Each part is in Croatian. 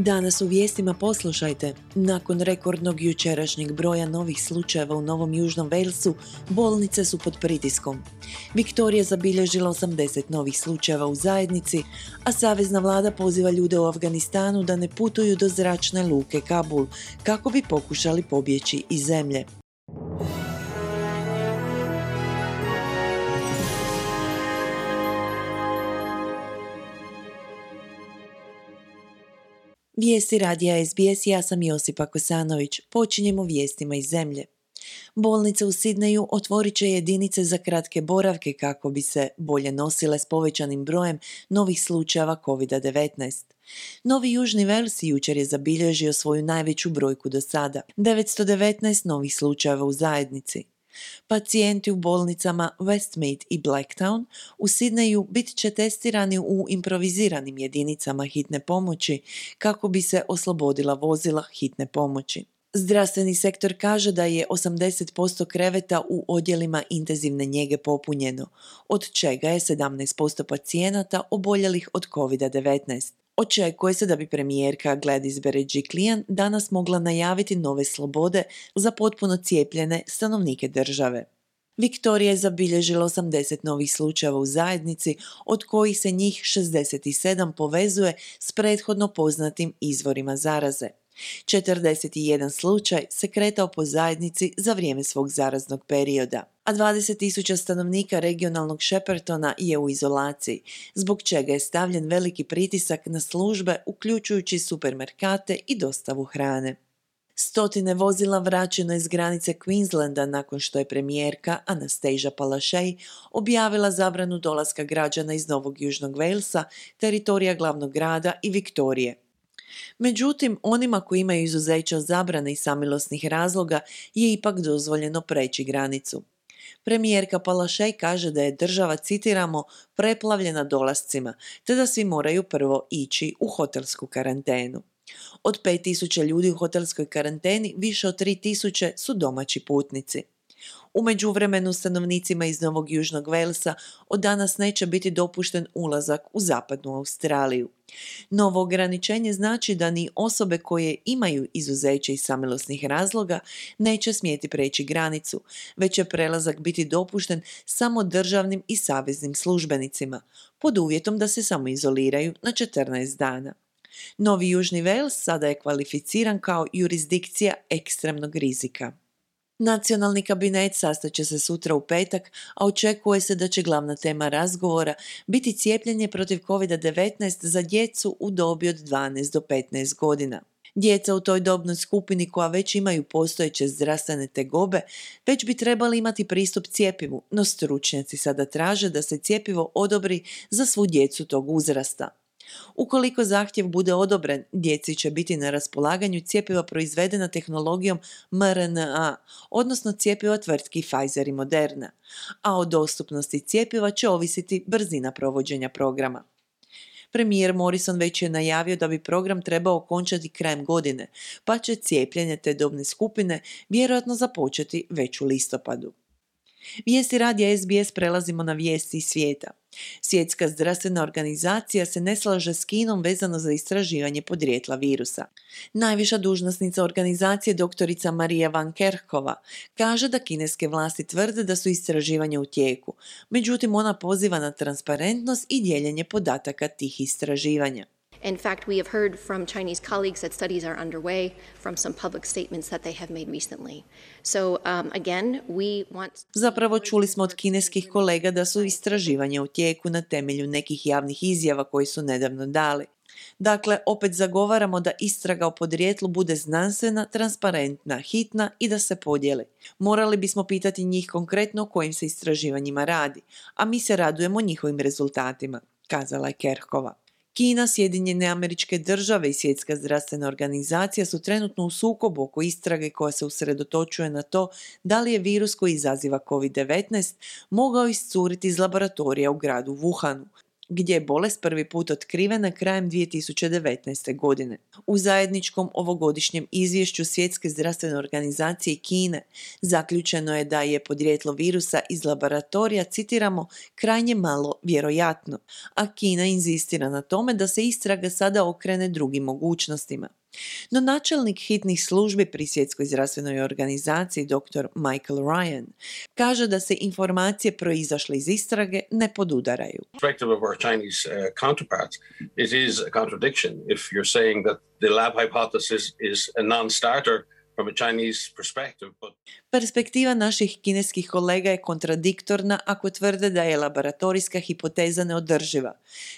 Danas u vijestima poslušajte. Nakon rekordnog jučerašnjeg broja novih slučajeva u Novom Južnom Walesu, bolnice su pod pritiskom. Viktorija zabilježila 80 novih slučajeva u zajednici, a savezna vlada poziva ljude u Afganistanu da ne putuju do zračne luke Kabul kako bi pokušali pobjeći iz zemlje. Vijesti radija SBS, ja sam Josipa Kosanović. Počinjemo vijestima iz zemlje. Bolnice u Sidneju otvorit će jedinice za kratke boravke kako bi se bolje nosile s povećanim brojem novih slučajeva COVID-19. Novi Južni Wales jučer je zabilježio svoju najveću brojku do sada, 919 novih slučajeva u zajednici. Pacijenti u bolnicama Westmead i Blacktown u Sidneju bit će testirani u improviziranim jedinicama hitne pomoći kako bi se oslobodila vozila hitne pomoći. Zdravstveni sektor kaže da je 80% kreveta u odjelima intenzivne njege popunjeno, od čega je 17% pacijenata oboljelih od COVID-19. Očekuje se da bi premijerka Gladys Berejiklian danas mogla najaviti nove slobode za potpuno cijepljene stanovnike države. Viktorija je zabilježila 80 novih slučajeva u zajednici, od kojih se njih 67 povezuje s prethodno poznatim izvorima zaraze. 41 slučaj se kretao po zajednici za vrijeme svog zaraznog perioda, a 20.000 stanovnika regionalnog Sheppertona je u izolaciji, zbog čega je stavljen veliki pritisak na službe, uključujući supermarkete i dostavu hrane. Stotine vozila vraćeno iz granice Queenslanda nakon što je premijerka Anastasia Palaszczuk objavila zabranu dolaska građana iz Novog Južnog Walesa, teritorija glavnog grada i Viktorije. Međutim, onima koji imaju izuzeća od zabrane i samilosnih razloga je ipak dozvoljeno preći granicu. Premijerka Palaszczuk kaže da je država, citiramo, preplavljena dolascima, te da svi moraju prvo ići u hotelsku karantenu. Od 5.000 ljudi u hotelskoj karanteni više od 3.000 su domaći putnici. U međuvremenu stanovnicima iz Novog Južnog Walesa od danas neće biti dopušten ulazak u zapadnu Australiju. Novo ograničenje znači da ni osobe koje imaju izuzeće iz samilosnih razloga neće smjeti preći granicu, već će prelazak biti dopušten samo državnim i saveznim službenicima, pod uvjetom da se samoizoliraju na 14 dana. Novi Južni Wales sada je kvalificiran kao jurisdikcija ekstremnog rizika. Nacionalni kabinet sastaće se sutra u petak, a očekuje se da će glavna tema razgovora biti cijepljenje protiv COVID-19 za djecu u dobi od 12 do 15 godina. Djeca u toj dobnoj skupini koja već imaju postojeće zdravstvene tegobe već bi trebali imati pristup cjepivu, no stručnjaci sada traže da se cjepivo odobri za svu djecu tog uzrasta. Ukoliko zahtjev bude odobren, djeci će biti na raspolaganju cjepiva proizvedena tehnologijom mRNA, odnosno cjepiva tvrtki Pfizer i Moderna, a o dostupnosti cjepiva će ovisiti brzina provođenja programa. Premijer Morrison već je najavio da bi program trebao okončati krajem godine, pa će cijepljenje te dobne skupine vjerojatno započeti već u listopadu. Vijesti radija SBS prelazimo na vijesti iz svijeta. Svjetska zdravstvena organizacija se ne slaže s Kinom vezano za istraživanje podrijetla virusa. Najviša dužnosnica organizacije, doktorica Maria Van Kerkhova, kaže da kineske vlasti tvrde da su istraživanja u tijeku, međutim ona poziva na transparentnost i dijeljenje podataka tih istraživanja. In fact, we have heard from Chinese colleagues that studies are underway from some public statements that they have made recently. So, again, we want... Zapravo čuli smo od kineskih kolega da su istraživanja u tijeku na temelju nekih javnih izjava koji su nedavno dali. Dakle, opet zagovaramo da istraga o podrijetlu bude znanstvena, transparentna, hitna i da se podijeli. Morali bismo pitati njih konkretno o kojim se istraživanjima radi, a mi se radujemo njihovim rezultatima, kazala je Kerkhova. Kina, Sjedinjene Američke Države i Svjetska zdravstvena organizacija su trenutno u sukobu oko istrage koja se usredotočuje na to da li je virus koji izaziva COVID-19 mogao iscuriti iz laboratorija u gradu Wuhanu, gdje je bolest prvi put otkrivena krajem 2019. godine. U zajedničkom ovogodišnjem izvješću Svjetske zdravstvene organizacije i Kine zaključeno je da je podrijetlo virusa iz laboratorija, citiramo, krajnje malo vjerojatno, a Kina inzistira na tome da se istraga sada okrene drugim mogućnostima. No načelnik hitnih službi pri Svjetskoj zdravstvenoj organizaciji dr. Michael Ryan kaže da se informacije proizašle iz istrage ne podudaraju. Perspective of our Chinese counterparts, it is a contradiction if you're saying that the lab hypothesis is a non-starter from a Chinese perspective. Perspektiva naših kineskih kolega je kontradiktorna ako tvrde da je laboratorijska hipoteza neodrživa.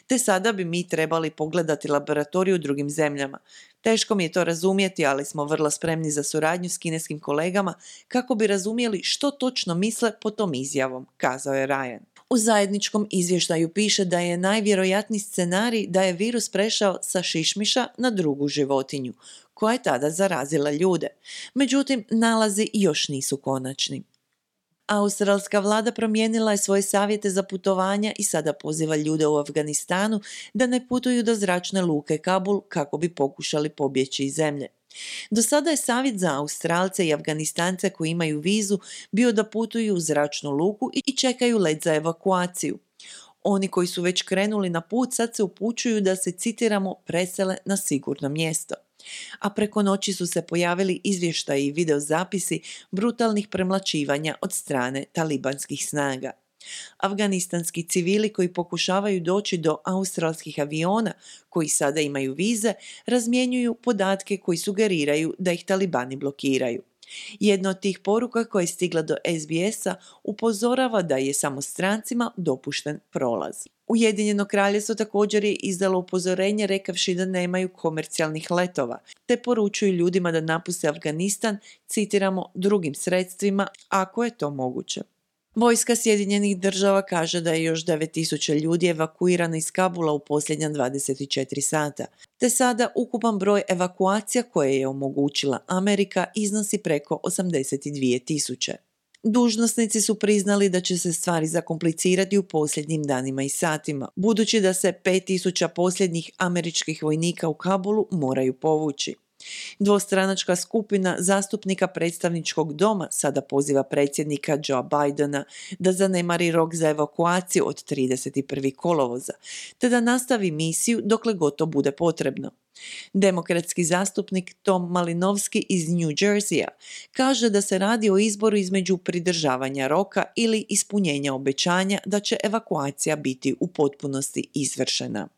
Te sada bi mi trebali pogledati laboratoriju u drugim zemljama. Teško mi je to razumjeti, ali smo vrlo spremni za suradnju s kineskim kolegama kako bi razumjeli što točno misle pod tom izjavom, kazao je Ryan. U zajedničkom izvještaju piše da je najvjerojatniji scenarij da je virus prešao sa šišmiša na drugu životinju, koja je tada zarazila ljude. Međutim, nalazi još nisu konačni. Australska vlada promijenila je svoje savjete za putovanja i sada poziva ljude u Afganistanu da ne putuju do zračne luke Kabul kako bi pokušali pobjeći iz zemlje. Do sada je savjet za Australce i Afganistance koji imaju vizu bio da putuju u zračnu luku i čekaju let za evakuaciju. Oni koji su već krenuli na put sad se upućuju da se, citiramo, presele na sigurno mjesto. A preko noći su se pojavili izvještaji i videozapisi brutalnih premlaćivanja od strane talibanskih snaga. Afganistanski civili koji pokušavaju doći do australskih aviona, koji sada imaju vize, razmjenjuju podatke koji sugeriraju da ih talibani blokiraju. Jedna od tih poruka koja je stigla do SBS-a upozorava da je samo strancima dopušten prolaz. Ujedinjeno kraljevstvo također je izdalo upozorenje rekavši da nemaju komercijalnih letova, te poručuju ljudima da napuste Afganistan, citiramo, drugim sredstvima ako je to moguće. Vojska Sjedinjenih država kaže da je još 9.000 ljudi evakuirano iz Kabula u posljednja 24 sata, te sada ukupan broj evakuacija koje je omogućila Amerika iznosi preko 82.000. Dužnosnici su priznali da će se stvari zakomplicirati u posljednjim danima i satima, budući da se 5.000 posljednjih američkih vojnika u Kabulu moraju povući. Dvostranačka skupina zastupnika predstavničkog doma sada poziva predsjednika Joe Bidena da zanemari rok za evakuaciju od 31. kolovoza, te da nastavi misiju dokle god to bude potrebno. Demokratski zastupnik Tom Malinovski iz New Jerseya kaže da se radi o izboru između pridržavanja roka ili ispunjenja obećanja da će evakuacija biti u potpunosti izvršena.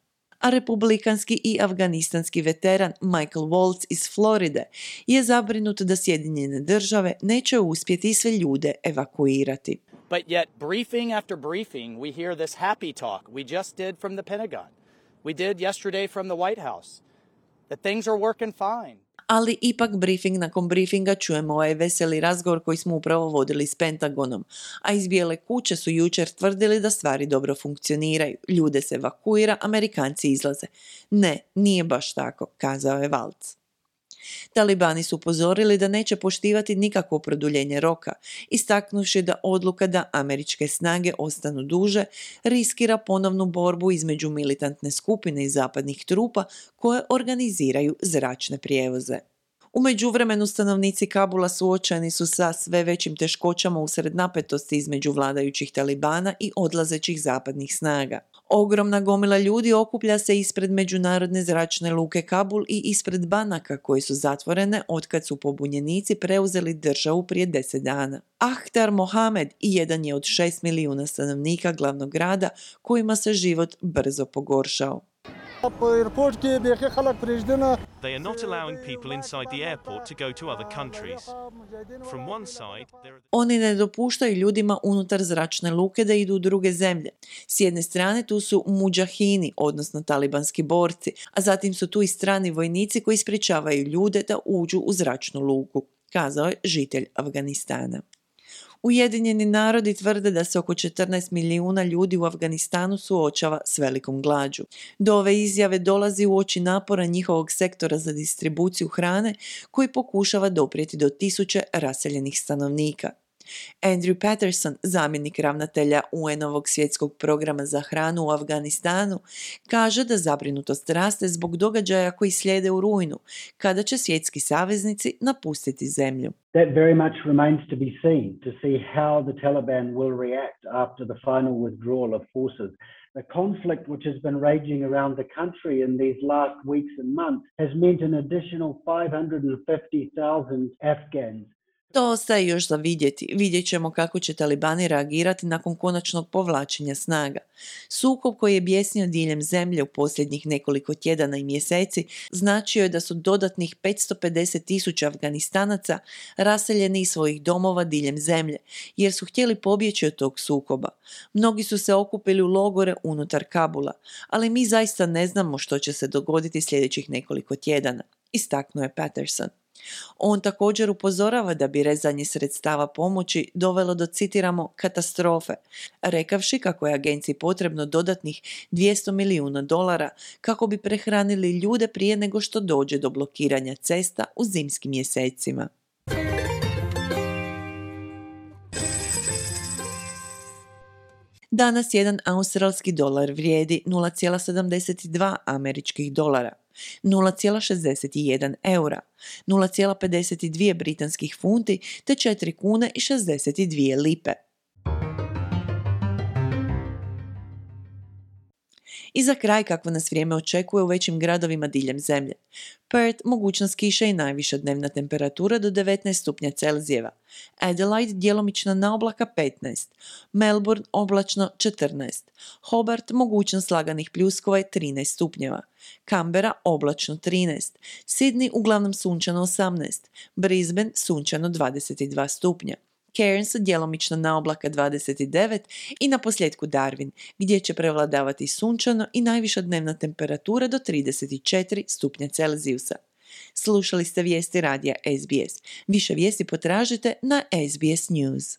A republikanski i afganistanski veteran Michael Waltz iz Floride je zabrinut da Sjedinjene države neće uspjeti sve ljude evakuirati. But yet, briefing after briefing, we hear this happy talk we just did from the Pentagon. We did yesterday from the White House. That things are working fine. Ali ipak briefing nakon briefinga čujemo ovaj veseli razgovor koji smo upravo vodili s Pentagonom, a iz Bijele kuće su jučer tvrdili da stvari dobro funkcioniraju, ljude se evakuira, Amerikanci izlaze. Ne, nije baš tako, kazao je Waltz. Talibani su upozorili da neće poštivati nikakvo produljenje roka, istaknuvši da odluka da američke snage ostanu duže riskira ponovnu borbu između militantne skupine i zapadnih trupa koje organiziraju zračne prijevoze. U međuvremenu stanovnici Kabula suočeni su sa sve većim teškoćama usred napetosti između vladajućih Talibana i odlazećih zapadnih snaga. Ogromna gomila ljudi okuplja se ispred međunarodne zračne luke Kabul i ispred banaka koje su zatvorene otkad su pobunjenici preuzeli državu prije 10 dana. Ahtar Mohamed jedan je od 6 milijuna stanovnika glavnog grada kojima se život brzo pogoršao. They are not allowing people inside the airport to go to other countries. From one side, there are... Oni ne dopuštaju ljudima unutar zračne luke da idu u druge zemlje. S jedne strane tu su mudžahini, odnosno talibanski borci, a zatim su tu i strani vojnici koji sprječavaju ljude da uđu u zračnu luku, kazao je žitelj Afganistana. Ujedinjeni narodi tvrde da se oko 14 milijuna ljudi u Afganistanu suočava s velikom glađu. Do ove izjave dolazi uoči napora njihovog sektora za distribuciju hrane koji pokušava doprijeti do 1000 raseljenih stanovnika. Andrew Patterson, zamjenik ravnatelja UN-ovog svjetskog programa za hranu u Afganistanu, kaže da zabrinutost raste zbog događaja koji slijede u rujnu, kada će svjetski saveznici napustiti zemlju. That very much remains to be seen, to see how the Taliban will react after the final withdrawal of forces. The conflict which has been raging around the country in these last weeks and months has meant an additional 550,000 Afghans. To ostaje još za vidjeti. Vidjet ćemo kako će talibani reagirati nakon konačnog povlačenja snaga. Sukob koji je bijesnio diljem zemlje u posljednjih nekoliko tjedana i mjeseci značio je da su dodatnih 550,000 Afganistanaca raseljeni iz svojih domova diljem zemlje, jer su htjeli pobjeći od tog sukoba. Mnogi su se okupili u logore unutar Kabula, ali mi zaista ne znamo što će se dogoditi sljedećih nekoliko tjedana, istaknuo je Patterson. On također upozorava da bi rezanje sredstava pomoći dovelo do, citiramo, katastrofe, rekavši kako je agenciji potrebno dodatnih $200 milijuna kako bi prehranili ljude prije nego što dođe do blokiranja cesta u zimskim mjesecima. Danas jedan australski dolar vrijedi 0,72 američkih dolara, 0,61 eura, 0,52 britanskih funti te 4 kune i 62 lipe. I za kraj kakvo nas vrijeme očekuje u većim gradovima diljem zemlje. Perth, mogućnost kiše i najviša dnevna temperatura do 19 stupnja Celzijeva. Adelaide, djelomična naoblaka 15. Melbourne, oblačno 14. Hobart, mogućnost laganih pljuskova je 13 stupnjeva. Canberra, oblačno 13. Sydney, uglavnom sunčano 18. Brisbane, sunčano 22 stupnja. Cairns, djelomično naoblaka 29 i na posljedku Darwin, gdje će prevladavati sunčano i najviša dnevna temperatura do 34 stupnja Celzijusa. Slušali ste vijesti radija SBS. Više vijesti potražite na SBS News.